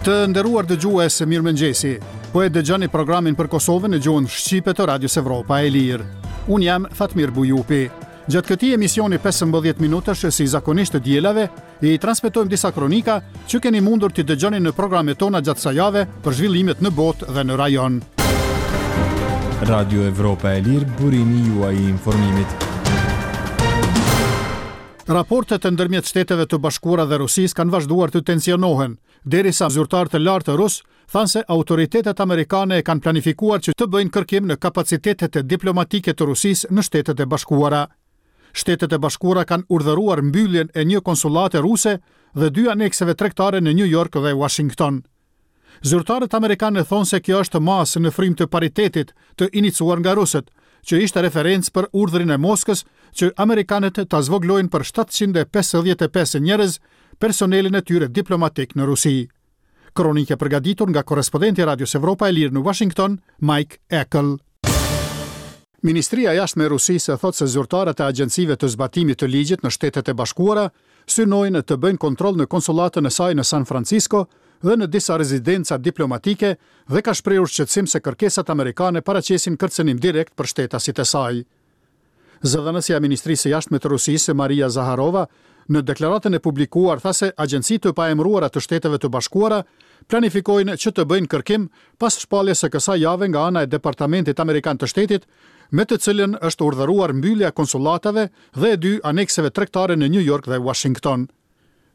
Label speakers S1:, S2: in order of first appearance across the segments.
S1: Të nderuar dëgjues, mirëmëngjesi. Po e dëgjoni programin për Kosovën në gjuhën shqipe të Radios Evropa e Lirë. Unë jam Fatmir Bujupi. Gjatë këtij emisioni 15 minutësh si zakonisht të dielave, I transmetojmë disa kronika që keni mundur t'i dëgjoni në programet tona gjatë kësaj jave për zhvillimet në botë dhe në
S2: rajon. Radio Evropa e Lirë, burimi juaj i informimit.
S1: Raportet ndërmjet Shteteve të Bashkuara dhe Rusisë kanë vazhduar të tensionohen, derisa zyrtarë të lartë rusë thanë se autoritetet amerikane e kanë planifikuar që të bëjnë kërkim në kapacitetet diplomatike të Rusisë në Shtetet e Bashkuara. Shtetet e Bashkuara kanë urdhëruar mbylljen e një konsullate ruse dhe dy anekseve tregtare në Nju Jork dhe Uashington. Zyrtarët amerikanë thonë se kjo është masë në frymë të paritetit të inicuar nga rusët, që ishte referencë për urdhrin e Moskës që amerikanët ta zvogëlojnë për 755 njerëz personelin e tyre diplomatik në Rusi. Kronikë e përgatitur nga korrespondenti i Radios Evropa e Lirë në Washington, Mike Eckel. Ministria e Jashtme e Rusisë thotë se zyrtarët e agjencive të zbatimit të ligjit në Shtetet e Bashkuara synojnë të bëjnë kontroll në konsullatën e saj në San Francisco dhe në disa rezidenca diplomatike dhe ka shprehur shqetësim se kërkesat amerikane paraqesin kërcënim direkt për shtetasit e saj. Zëdhënësja e Ministrisë së Jashtme të Rusisë, Maria Zaharova, në deklaratën e publikuar tha se agjenci të paemëruara të Shteteve të Bashkuara planifikojnë që të bëjnë kërkim pas shpalljes së kësaj jave nga ana e Departamentit Amerikan të Shtetit, me të cilën është urdhëruar mbyllja e konsullatave dhe e dy anekseve tregtare në Nju Jork dhe Uashington.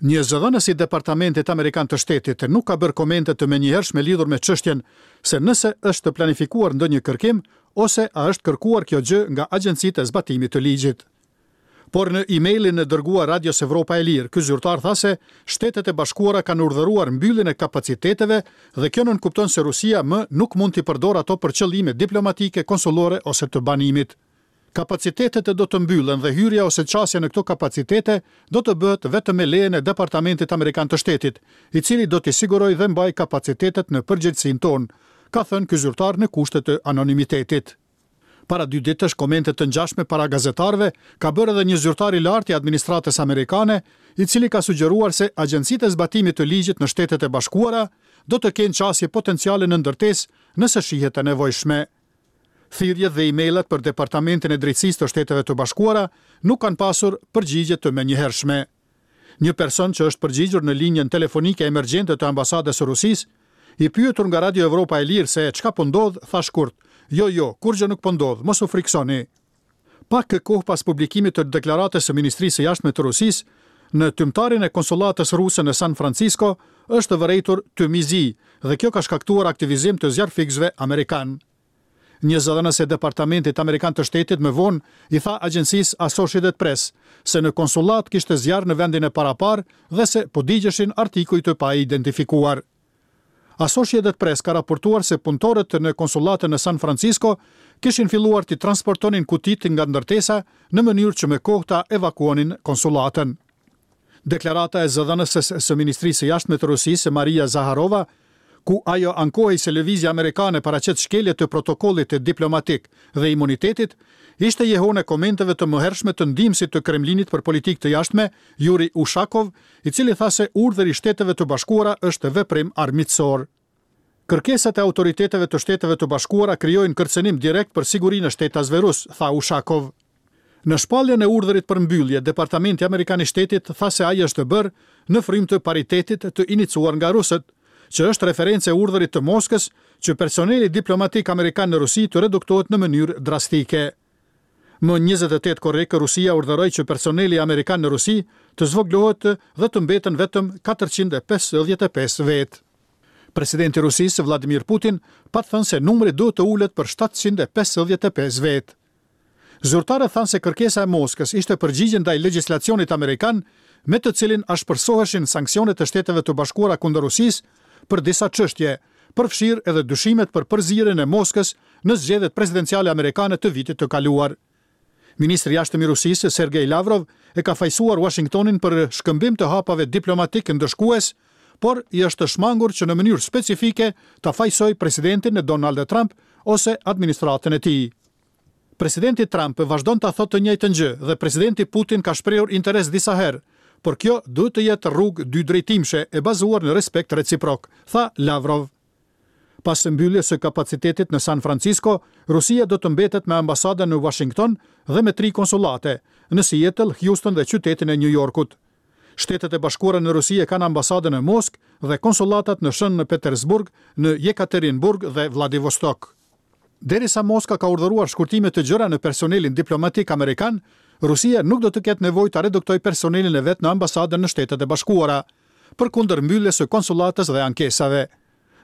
S1: Një zëdhënës i Departamentit Amerikan të Shtetit nuk ka bërë komente të menjëhershme lidhur me çështjen se nëse është planifikuar ndonjë kërkim ose a është kërkuar kjo gjë nga agjencitë e zbatimit të ligjit. Por në emailin e dërguar Radios Evropa e Lirë, ky zyrtar tha se Shtetet e Bashkuara kanë urdhëruar mbylljen e kapaciteteve dhe kjo nënkupton se Rusia më nuk mund t'i përdorë ato për qëllime diplomatike, konsullore ose të banimit. Kapacitetet do të mbyllen dhe hyrja ose qasja në këto kapacitete do të bëhet vetëm me lejen e Departamentit Amerikan të Shtetit, i cili do t'i sigurojë dhe mbajë kapacitetet në përgjegjësinë tonë, ka thënë ky zyrtar në kushte të anonimitetit. Para dy ditësh komente të ngjashme para gazetarëve ka bërë edhe një zyrtar i lartë i administratës amerikane, i cili ka sugjeruar se agjencitë e zbatimit të ligjit në Shtetet e Bashkuara do të kenë qasje potenciale në ndërtesë nëse shihet e nevojshme. Thirrjet dhe e-mailat për Departamentin e Drejtësisë të Shteteve të Bashkuara nuk kanë pasur përgjigje të menjëhershme. Një person që është përgjigjur në linjën telefonike emergjente të Ambasadës së Rusisë, i pyetur nga Radio Evropa e Lirë se çka po ndodh, tha shkurt, Jo, jo, kurrgjë nuk po ndodh, mos u frikësoni. Pak kohë pas publikimit të deklaratës së Ministrisë së Jashtme të Rusisë, në tymtarin e konsullatës ruse në San Francisco është vërejtur tym i zi dhe kjo ka shkaktuar aktivizim të zjarrfikësve amerikanë. Një zëdhënës e Departamentit Amerikan të Shtetit më vonë i tha agjencisë Associated Press se në konsullatë kishte zjarr në vendin e paraparë dhe se po digjeshin artikuj të paidentifikuar. Associated Press ka raportuar se punëtorët në konsullatën në San Francisco kishin filluar t'i transportonin kutitë nga ndërtesa në mënyrë që me kohë ta evakuonin konsullatën. Deklarata e zëdhënëses së Ministrisë së Jashtme të Rusisë, Maria Zaharova, ku ajo ankohej se lëvizja amerikane paraqet shkelje të protokollit diplomatik dhe imunitetit, ishte jehonë e komenteve të mëhershme të ndihmësit të Kremlinit për politikë të jashtme, Yuri Ushakov, i cili tha se urdhri i Shteteve të Bashkuara është veprim armiqësor. Kërkesat e autoriteteve të Shteteve të Bashkuara krijojnë kërcënim direkt për sigurinë e shtetasve rusë, tha Ushakov. Në shpalljen e urdhrit për mbyllje, Departamenti Amerikan i Shtetit tha se ai është bërë në frymë të paritetit të inicuar nga rusët, që është referencë e urdhrit të Moskës që personeli diplomatik amerikan në Rusi të reduktohet në mënyrë drastike. Më 28 korrik, Rusia urdhëroi që personeli amerikan në Rusi të zvogëlohet dhe të mbeten vetëm 455 vetë. Presidenti i Rusisë, Vladimir Putin, pat thënë se numri duhet të ulet për 755 vetë. Zyrtarët thanë se kërkesa e Moskës ishte përgjigje ndaj legjislacionit amerikan me të cilin ashpërsoheshin sanksionet e Shteteve të Bashkuara kundër Rusisë për disa çështje, përfshirë edhe dyshimet për përzierjen e Moskës në zgjedhjet presidenciale amerikane të vitit të kaluar. Ministri i Jashtëm i Rusisë, Sergei Lavrov, e ka fajësuar Uashingtonin për shkëmbim të hapave diplomatikë ndëshkues, por i është shmangur që në mënyrë specifike ta fajësojë presidentin Donald Trump ose administratën e tij. Presidenti Trump vazhdon ta thotë të njëjtën gjë dhe presidenti Putin ka shprehur interes disa herë, por kjo duhet të jetë rrugë dydrejtimshe e bazuar në respekt reciprok, tha Lavrov. Pas mbylljes së kapacitetit në San Francisco, Rusia do të mbetet me ambasadën në Uashington dhe me tri konsullate, në Seattle, Houston dhe qytetin e Nju Jorkut. Shtetet e Bashkuara në Rusi e kanë ambasadën në Moskë dhe konsullatat në Shën Petersburg, në Jekaterinburg dhe Vladivostok. Derisa Moska ka urdhëruar shkurtime të gjera në personelin diplomatik amerikan, Rusia nuk do të ketë nevojë ta reduktojë personelin e vet në ambasadën në Shtetet e Bashkuara, përkundër mbylljes së konsullatës dhe ankesave.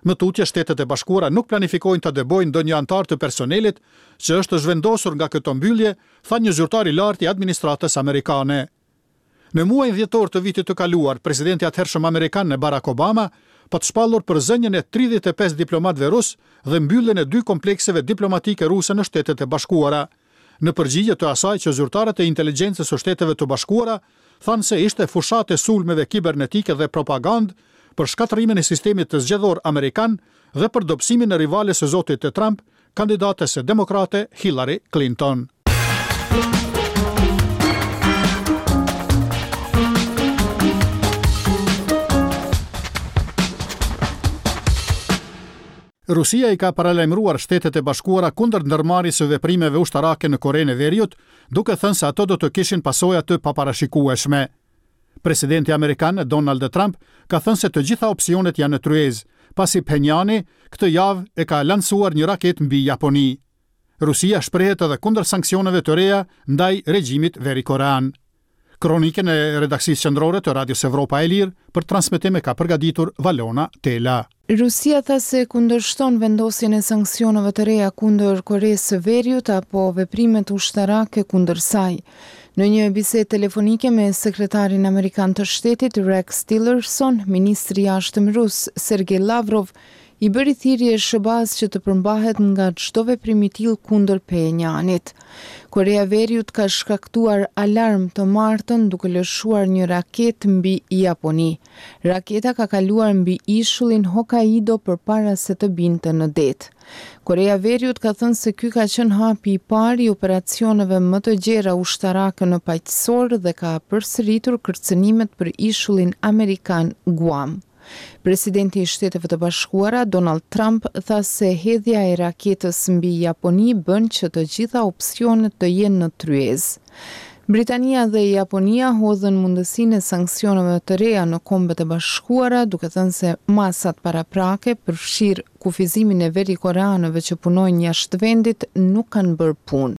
S1: Më tutje, Shtetet e Bashkuara nuk planifikojnë ta dëbojnë ndonjë anëtar të personelit që është zhvendosur nga këto mbyllje, tha një zyrtar i lartë i administratës amerikane. Në muajin dhjetor të vitit të kaluar, presidenti i atëhershëm amerikan Barack Obama pat shpallur përzënien e 35 diplomatëve rusë dhe mbylljen e dy komplekseve diplomatike ruse në Shtetet e Bashkuara, në përgjigje të asaj që zyrtarët e inteligjencës së Shteteve të Bashkuara thanë se ishte fushatë e sulmeve kibernetike dhe propagandë për shkatërrimin e sistemit zgjedhor amerikan dhe për dobësimin e rivales së zotit Trump, kandidates demokrate Hillary Clinton. Rusia i ka paralajmëruar Shtetet e Bashkuara kundër ndërmarrjes së veprimeve ushtarake në Korenë e Veriut, duke thënë se ato do të kishin pasoja të paparashikueshme. Presidenti amerikan Donald Trump ka thënë se të gjitha opsionet janë në tryezë, pasi Phenjani këtë javë e ka lansuar një raketë mbi Japoni. Rusia shprehet edhe kundër sanksioneve të reja ndaj regjimit verikorean. Kronikën e redaksisë qendrore të Radios Evropa e Lirë për transmetim e ka përgatitur Valona Tela.
S3: Rusia tha se kundërshton vendosjen e sanksioneve të reja kundër Koresë së Veriut apo veprimet ushtarake kundër saj. Në një bisedë telefonike me sekretarin amerikan të shtetit Rex Tillerson, ministri i Jashtëm rus, Sergei Lavrov, i bëri thirrje SHBA-së që të përmbahet nga çdo veprim i tillë kundër Phenjanit. Koreja e Veriut ka shkaktuar alarm të martën duke lëshuar një raketë mbi Japoni. Raketa ka kaluar mbi ishullin Hokkaido përpara se të binte në det. Koreja e Veriut ka thënë se ky ka qenë hapi i parë i operacioneve më të gjera ushtarake në Paqësor dhe ka përsëritur kërcënimet për ishullin amerikan Guam. Presidenti i Shteteve të Bashkuara, Donald Trump, tha se hedhja e raketës mbi Japoni bën që të gjitha opsionet të jenë në tryezë. Britania dhe Japonia hodhën mundësinë e sanksioneve të reja në Kombet e Bashkuara, duke thënë se masat paraprake, përfshirë kufizimin e verikoreanëve që punojnë jashtë vendit, nuk kanë bërë punë.